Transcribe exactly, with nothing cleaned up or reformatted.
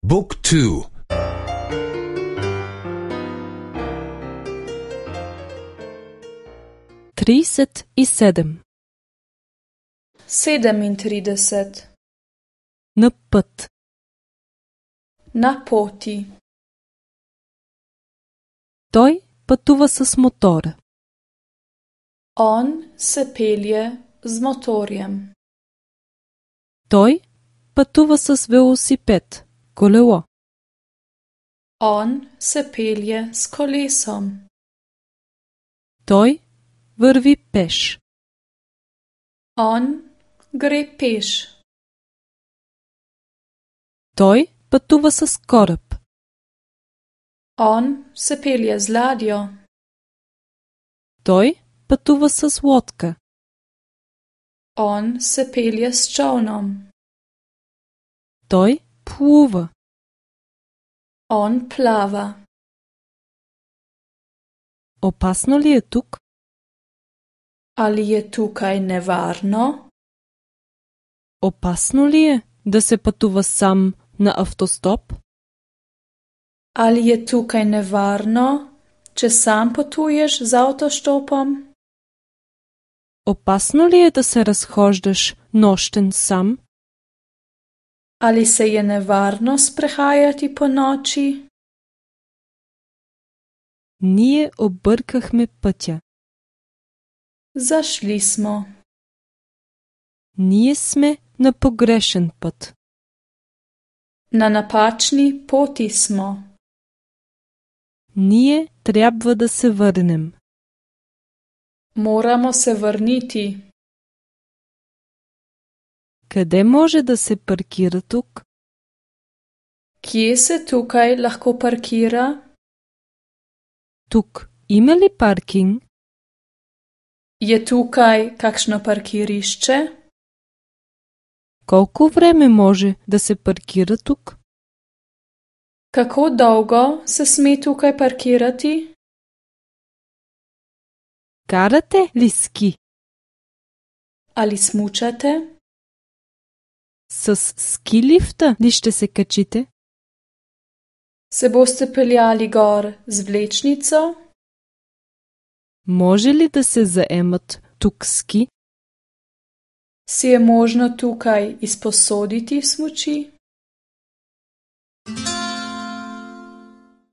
Book two. trideset sedem. sedemintrideset. Na pът. Na poti. Той пътува с мотора. On se pelje z motorjem. Той пътува с велосипед, колело. On se pelje s kolesom. Той върви пеш. On gre peš. Той пътува с кораб. On se pelje z ladjo. Той пътува с лодка. On se pelje s čolnom. Той плува. On plava. Опасно ли е тук? Ali je tukaj nevarno? Опасно ли е да се пътува сам на автостоп? Ali je tukaj nevarno, če sam potuješ z avtoštopom? Опасно ли е да се разхождаш нощен сам? Ali se je nevarno sprehajati po noči? Ние объркахме пътя. Zašli smo. Ние сме на погрешен път. Na napačni poti smo. Ние трябва да се върнем. Moramo se vrniti. Къде може да се паркира тук? Kje se tukaj lahko parkira? Тук има ли паркинг? Je tukaj kakšno parkirišče? Колко време може да се паркира тук? Kako dolgo se sme tukaj parkirati? Карате ли ски? Ali smučate? С ски лифта ли ще се качите? Se boste peljali gor z vlečnico? Може ли да се заемат тук ски? Si je možno tukaj izposoditi smuči?